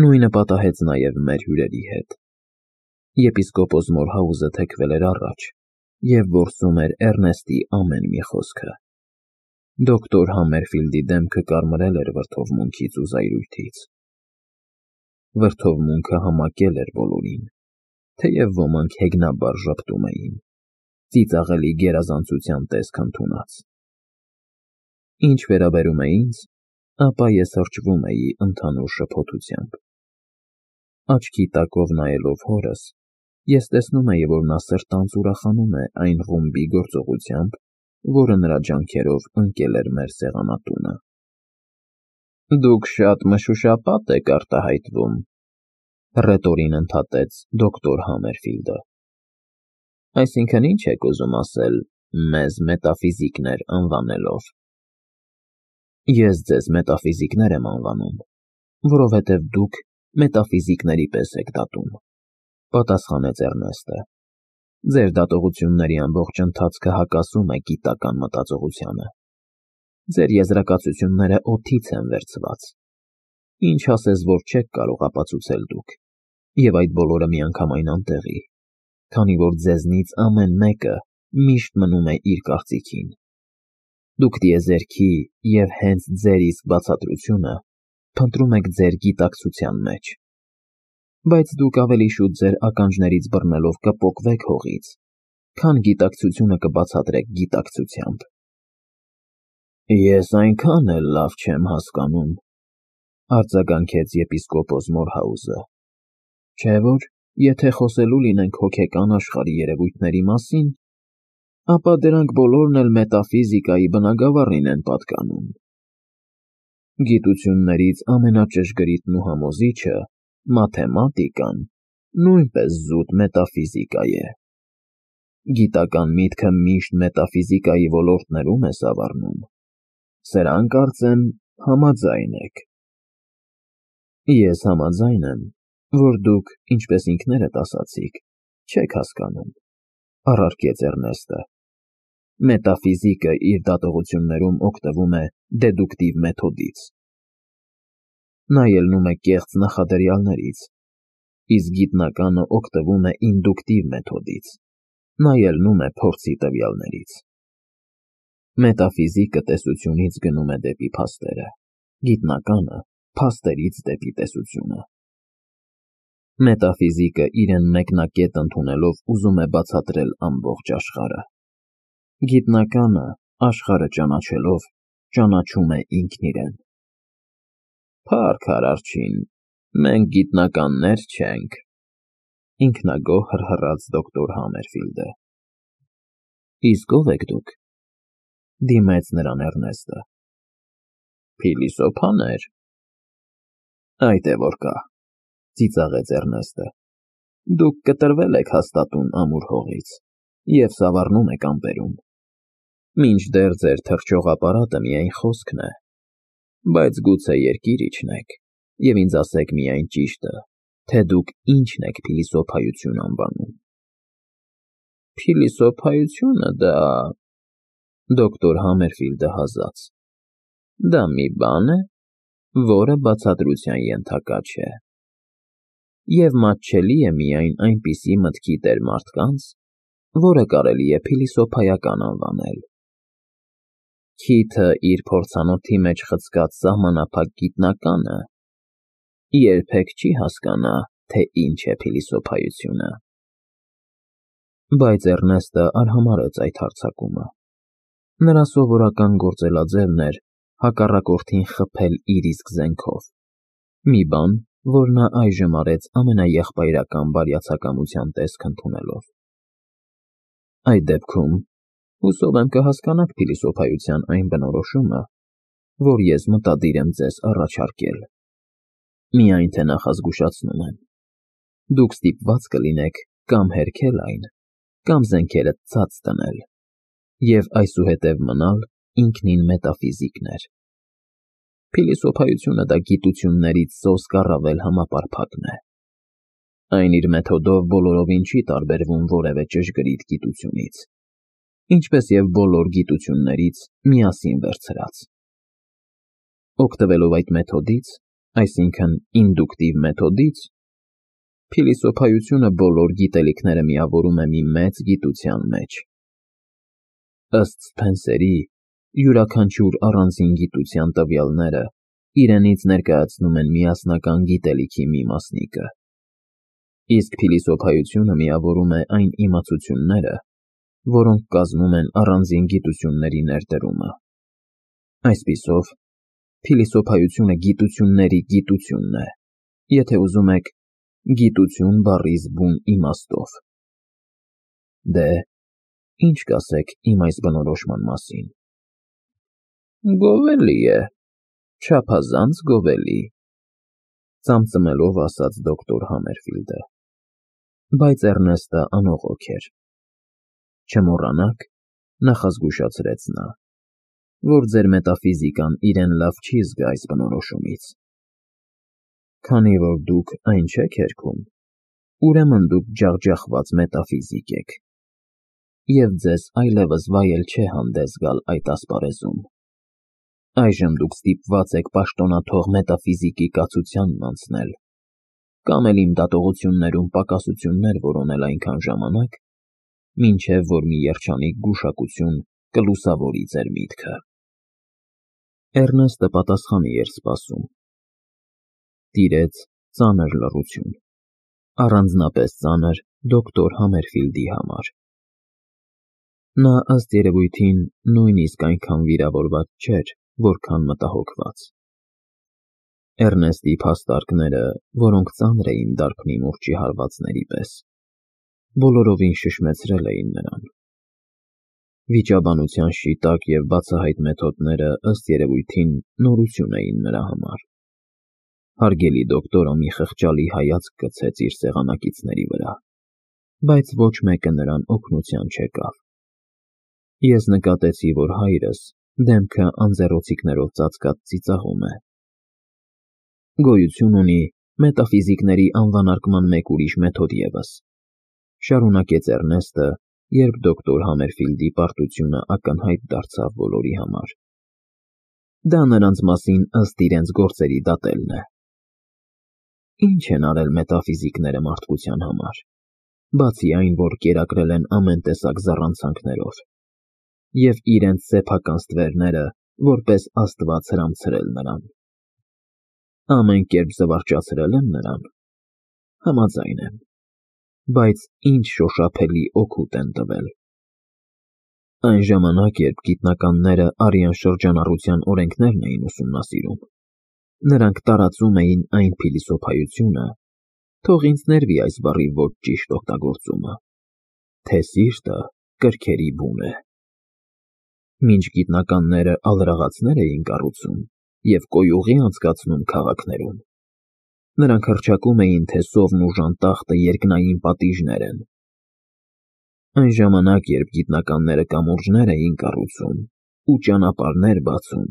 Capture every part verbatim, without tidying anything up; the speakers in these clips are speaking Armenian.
Նույնը պատահեց նաև մեր հյուրերի հետ։ Եպիսկոպոս Մորհաուզը թեքվել էր առաջ և որսում էր Էռնեստի ամեն մի խոսքը։ Դոկտոր Համերֆիլդի դեմքը կարմրել էր վրդովմունքից ու զայրույթից։ Վրդովմունքը համակել էր բոլորին, թեև ոմանք հեգնաբար ժպտում էին, ծիծաղելի գերազանցության տեսք ընդունած։ Ինչ վերաբերում է ինձ, ապա ես հրճվում էի ընդհանուր շփոթությամբ։ Աչքի տակով նայելով հորս, ես տեսնում էի, որ նա սրտանց ուրախանում է այն ռումբի գործողությամբ, որը նրա ջանքերով ընկել էր մեր սեղանատունը։ Դուք շատ մշուշապատ եք արտահայտվում, հռետորին ընդհատեց դոկտոր Համերֆիլդը։ Այսինքն ի՞նչ եք ուզում ասել մեզ մետաֆիզիկներ անվանելով։ Ես ձեզ մետաֆիզիկներ եմ անվանում, որովհետև դուք մետաֆիզիկների պես եք դատում, պատասխանեց Էռնեստը։ Ձեր դատողությունների ամբողջ ընթացքը հակասում է գիտական մտածողությանը։ Ձեր եզրակացությունները օդից են վերցված։ Ինչ ասես, որ չեք կարող ապացուցել դուք, և այդ բոլորը միանգամայն անտեղի, քանի որ ձեզնից ամեն մեկը միշտ մնում է իր կարծիքին։ Դուք տիեզերքի և հենց ձեր իսկ բացատրությունը փնտրում եք ձեր գիտակցության մեջ, բայց դուք ավելի շուտ ձեր ականջներից բռնելով կպոկվեք հողից, քան գիտակցությունը կբացատրեք գիտակցությամբ։ Ես այնքան էլ լավ չեմ հասկանում, արձագանքեց եպիսկոպոս Մորհաուզը, չէ՞ որ եթե խոսելու լինենք հոգեկան աշխարհի երևույթների մասին, ապա դրանք բոլորն էլ մետաֆիզիկայի բնագավառին են պատկանում։ Գիտություններից ամենաճշգրիտն ու համոզիչը, մաթեմատիկան, նույնպես զուտ մետաֆիզիկա է։ Գիտական միտքը միշտ մետաֆիզիկայի ոլորտներում է սավառնում։ Սրան, կարծեմ, համաձայն եք։ Ես համաձայն եմ, որ դուք, ինչպես ինքներդ ասացիք, չեք հասկանում, առարկեց Էռնեստը։ Մետաֆիզիկը իր դատողություններում օգտվում է դեդուկտիվ մեթոդից։ Նա ելնում է կեղծ նախադրյալներից, իսկ գիտնականը օգտվում է ինդուկտիվ մեթոդից։ Նա ելնում է փորձի տվյալներից։ Մետաֆիզիկը տեսությունից գնում է դեպի փաստերը, գիտնականը փաստերից դեպի տեսությունը։ Մետաֆիզիկը իրեն մեկնակետ ընդունելով ուզում է բացատրել ամբողջ աշխարհը։ Գիտնականը, աշխարհը ճանաչելով, ճանաչում է ինքն իրեն։ Փառք Արարչին, մենք գիտնականներ չենք, ինքնագոհ հռհռաց դոկտոր Համերֆիլդը։ Իսկ ո՞վ եք դուք, դիմեց նրան Էռնեստը։ Փիլիսոփաներ։ Այդ է որ կա, ծիծաղեց Էռնեստը։ Դուք կտրվել եք հաստատուն ամուր հողից և սավառնում եք ամպերում։ Մինչդեռ ձեր թռչող ապարատը միայն խոսքն է, բայց գուցե երկիր իջնեք և ինձ ասեք միայն ճիշտը, թե դուք ինչն եք փիլիսոփայություն անվանում։ Փիլիսոփայությունը դա… Դոկտոր Համերֆիլդը հազաց։ Դա մի բան է, որը բացատրության ենթակա չէ։ Եվ մատչելի է միայն այնպիսի մտքի տեր մարդկանց, որը կարելի է փիլիսոփայական անվանել։ Քիթը իր փորձանոթի մեջ խցկած սահմանափակ գիտնականը երբեք չի հասկանա, թե ինչ է փիլիսոփայությունը։ Բայց Էռնեստը արհամարհեց այդ հարձակումը։ Նրա սովորական գործելաձևն էր հակառակորդին խփել իր իսկ զենքով, մի բան, որ նա այժմ արեց ամենաեղբայրական բարյացակամության տեսք ընդունելով։ Այդ դեպքում, հուսով եմ կհասկանաք փիլիսոփայության այն բնորոշումը, որ ես մտադիր եմ ձեզ առաջարկել։ Միայն թե նախազգուշացնում եմ. դուք ստիպված կլինեք կամ հերքել այն, կամ զենքերդ ցած դնել, և այսուհետև մնալ ինքնին մետաֆիզիկներ։ Փիլիսոփայությունը դա գիտություններից սոսկ առավել համապարփակն է։ Այն իր մեթոդով բոլորովին չի տարբերվում որևէ ճշգրիտ գիտությունից, ինչպես և բոլոր գիտություններից միասին վերցրած։ Օգտվելով այդ մեթոդից, այսինքն ինդուկտիվ մեթոդից, փիլիսոփայությունը բոլոր գիտելիքները միավորում է մի մեծ գիտության մեջ։ Ըստ Սփենսերի, յուրաքանչյուր առանձին գիտության տվյալները իրենից ներկայացնում են միասնական գիտելիքի մի մասնիկը, իսկ փիլիսոփայությունը միավորում է այն իմացությունները, որոնք կազմում են առանձին գիտությունների ներդրումը։ Այսպիսով, փիլիսոփայությունը գիտությունների գիտությունն է, եթե ուզում եք, գիտություն բառի զգում իմաստով։ Դե, ինչ կասեք իմ այս բնորոշման մասին։ Գովելի է, չափազանց գովելի, ծամծմելով ասաց դոկտոր Համերֆիլդը, բայց Էռնեստը անողոք էր։ Չմոռանաք, նախազգուշացրեց նա, որ ձեր մետաֆիզիկան իրեն լավ չի զգա այս բնորոշումից։ Քանի որ դուք այն չեք հերքում, ուրեմն դուք ջախջախված մետաֆիզիկ եք, և ձեզ այլևս վայել չէ հանդես գալ այդ ասպարեզում։ Այժմ դուք ստիպված եք պաշտոնաթող մետաֆիզիկի կացությանն անցնել, կամ էլ իմ դատողություններում պակասություններ որոնել այնքան ժամանակ, մինչև որ մի երջանիկ գուշակություն կլուսավորի ձեր միտքը։ Էռնեստը պատասխանի էր սպասում։ Տիրեց ծանր լռություն, առանձնապես ծանր դոկտոր Համերֆիլդի համար։ Նա ըստ երևույթին նույնիսկ այնքան վիրավորված չէր, որքան մտահոգված։ Էռնեստի փաստարկները, որոնք ծանր էին դարբնի մուրճի հարվածների պես, բոլորովին շշմեցրել էին նրան։ Վիճաբանության շիտակ և բացահայտ մեթոդները ըստ երևույթին նորություն էին նրա համար։ Հարգելի դոկտորը մի խղճալի հայացք գցեց իր սեղանակիցների վրա, բայց ոչ մեկը նրան օգնության չեկավ։ Ես նկատեցի, որ հայրս դեմքը անձեռոցիկներով ծածկած ծիծաղում է։ Գոյություն ունի մետաֆիզիկների անվանարկման մեկ ուրիշ մեթոդ ևս, շարունակեց Էռնեստը, երբ դոկտոր Համերֆիլդի պարտությունը ակնհայտ դարձավ բոլորի համար։ Դա նրանց մասին ըստ իրենց գործերի դատելն է։ Ինչ են արել մետաֆիզիկները մարդկության համար, բացի այն, որ կերակրել են ամեն տեսակ զառանցանքներով, և իրենց սեփական ստվերները որպես աստված հրամցրել նրան։ Ամեն կերպ զվարճացրել են նրան։ Համաձայն եմ, բայց ինչ շոշափելի օգուտ են տվել։ Այն ժամանակ, երբ գիտնականները արյան շրջանառության օրենքներն էին ուսումնասիրում, նրանք տարածում էին այն փիլիսոփայությունը, թող ինձ ներվի այս բառի ոչ ճիշտ օգտագործումը, թե սիրտը կրքերի բուն է։ Մինչ գիտնականները ալրաղացներ էին կառուցում և կոյուղի անցկացնում քաղաքներում, նրանք հռչակում էին, թե սովն ու ժանտախտը երկնային պատիժներ են։ Այն ժամանակ, երբ գիտնականները կամուրջներ էին կառուցում ու ճանապարհներ բացում,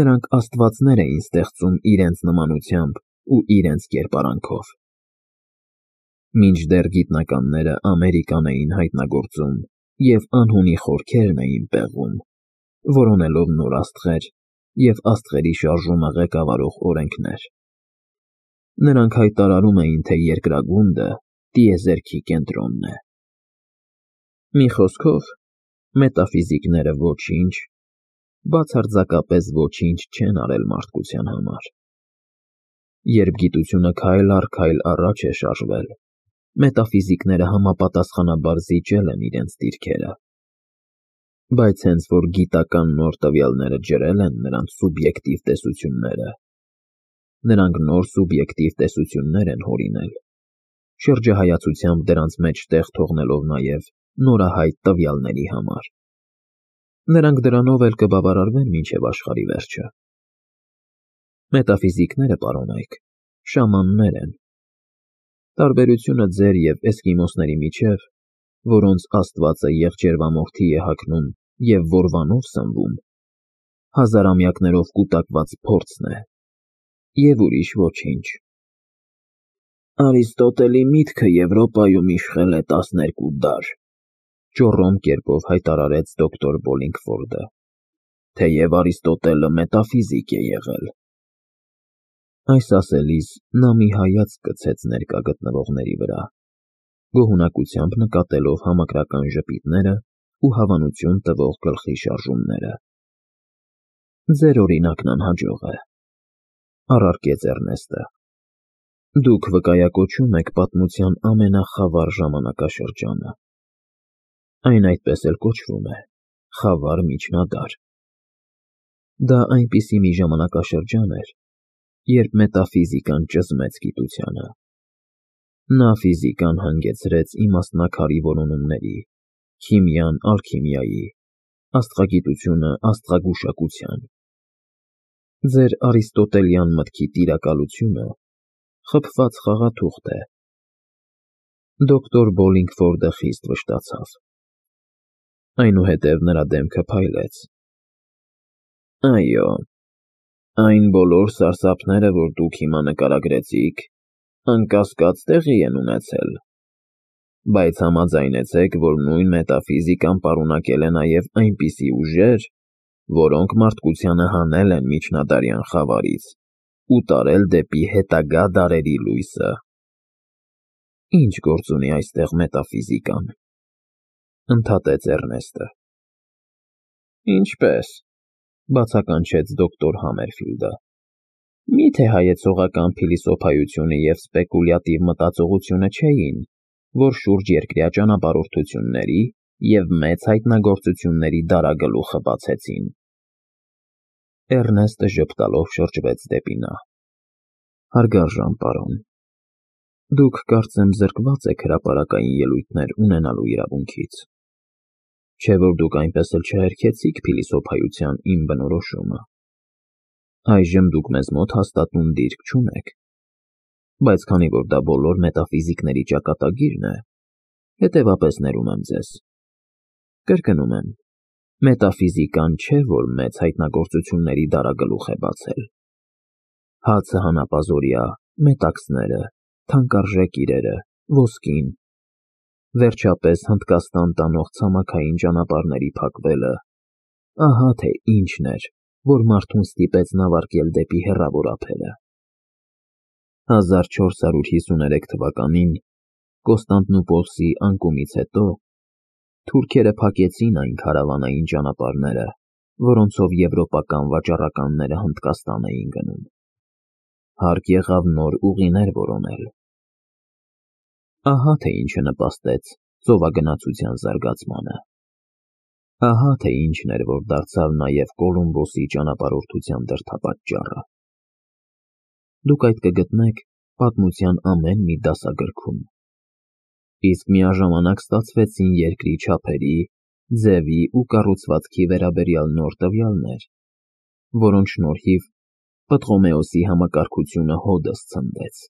նրանք աստվածներ էին ստեղծում իրենց նմանությամբ ու իրենց կերպարանքով։ Մինչդեռ գիտնականները Ամերիկան էին հայտնագործում և անհունի խորքերն էին պեղում, որոնելով նոր աստղեր և աստղերի շարժումը ղեկավարող օրենքներ։ Նրանք հայտարարում էին, թե երկրագունդը տիեզերքի կենտրոնն է։ Մի խոսքով, մետաֆիզիկները ոչինչ, բացարձակապես ոչինչ չեն արել մարդկության համար։ Երբ գիտությունը քայլ առ քայլ առաջ է շարժվել, մետաֆիզիկները համապատասխանաբար զիջել են իրենց դիրքերը։ Բայց հենց որ գիտական նոր տվյալները ջրել են նրանց սուբյեկտիվ տեսությունները, նրանք նոր սուբյեկտիվ տեսություններ են հորինել, շրջահայացությամբ դրանց մեջ տեղ թողնելով նաև նորահայտ տվյալների համար։ Նրանք դրանով էլ կբավարարվեն մինչև աշխարհի վերջը։ Մետաֆիզիկները, պարոնայք, շամաններ են։ Տարբերությունը ձեր և էսկիմոսների միջև, որոնց աստվածը եղջերվամորթի է հագնում և որվանով սնվում, հազարամյակներով կուտակված փորձն է, և ուրիշ ոչինչ։ Արիստոտելի միտքը Եվրոպայում իշխել է տասներկու դար, ճոռոմ կերպով հայտարարեց դոկտոր Բոլինգֆորդը, թեև Արիստոտելը մետաֆիզիկ է եղել։ Այս ասելիս նա մի հայացք գցեց ներկա գտնվողների վրա, գոհունակությամբ նկատելով համակրական ժպիտները ու հավանություն տվող գլխի շարժումները։ Ձեր օրինակն անհաջող է, առարկեց Էռնեստը։ Դուք վկայակոչում եք պատմության ամենախավար ժամանակաշրջանը։ Այն այդպես էլ կոչվում է՝ խավար միջնադար։ Դա այնպիսի մի ժամանակաշրջան էր, երբ մետաֆիզիկան ճզմեց գիտությանը։ Նա ֆիզիկան հանգեցրեց իմաստնաքարի որոնումների, քիմիան ալքիմիայի, աստղագիտությունը աստղագուշակության։ Ձեր արիստոտելյան մտքի տիրակալությունը խփված խաղաթուղթ է։ Դոկտոր Բոլինգֆորդը խիստ վշտացավ։ Այնուհետև նրա դեմքը փայլեց։ Այո, այն բոլոր սարսափները, որ դուք հիմա նկարագրեցիք, անկասկած տեղի են ունեցել, բայց համաձայնեցեք, որ նույն մետաֆիզիկան պարունակել է նաև այնպիսի ուժեր, որոնք մարդկությանը հանել են միջնադարյան խավարից ու տարել դեպի հետագա դարերի լույսը։ Ինչ գործ ունի այստեղ մետաֆիզիկան, ընդհատեց Էռնեստը։ Ինչպես, բացականչեց դոկտոր Համերֆիլդը։ Մի՞թե հայեցողական փիլիսոփայությունը և սպեկուլյատիվ մտածողությունը չէին, որ շուրջերկրյա ճանապարհորդությունների և մեծ հայտնագործությունների դարագլուխը բացեցին։ Էռնեստը ժպտալով շրջվեց դեպի նա։ Հարգարժան պարոն, դուք կարծեմ զրկված եք հրապարակային ելույթներ ունենալու իրավունքից, չէ՞ որ դուք այնպես էլ չհերքեցիք փիլիսոփայության իմ բնորոշումը։ Այժմ դուք մեզ մոտ հաստատուն դիրք չունեք, բայց քանի որ դա բոլոր մետաֆիզիկների ճակատագիրն է, հետևապես ներում եմ ձեզ։ Կրկնում եմ, մետաֆիզիկան չէ, որ մեծ հայտնագործությունների դարագլուխ է բացել։ Հացը հանապազօրյա, մետաքսները, թանկարժեք իրերը, ոսկին, վերջապես Հնդկաստան տանող ցամաքային ճանապարհների փակվելը, ահա թե ինչն էր, որ մարդուն ստիպեց նավարկել դեպի հեռավոր ափերը։ հազար չորս հարյուր հիսուներեք թվականին Կոստանդնուպոլսի անկումից հետո թուրքերը փակեցին այն քարավանային ճանապարհները, որոնցով եվրոպական վաճառականները Հնդկաստան էին գնում։ Հարկ եղավ նոր ուղիներ որոնել։ Ահա թե ինչը նպաստեց ծովագնացության զարգացմանը։ Ահա թե ինչն էր, որ դարձավ նաև Կոլումբոսի ճանապարհորդության դրդապատճառը։ Դուք այդ կգտնեք պատմության ամեն մի դասագրքում։ Իսկ միաժամանակ ստացվեցին երկրի չափերի, ձևի ու կառուցվածքի վերաբերյալ նոր տվյալներ, որոնց շնորհիվ Պտղոմեոսի համակարգությունը հօդս ցնդեց։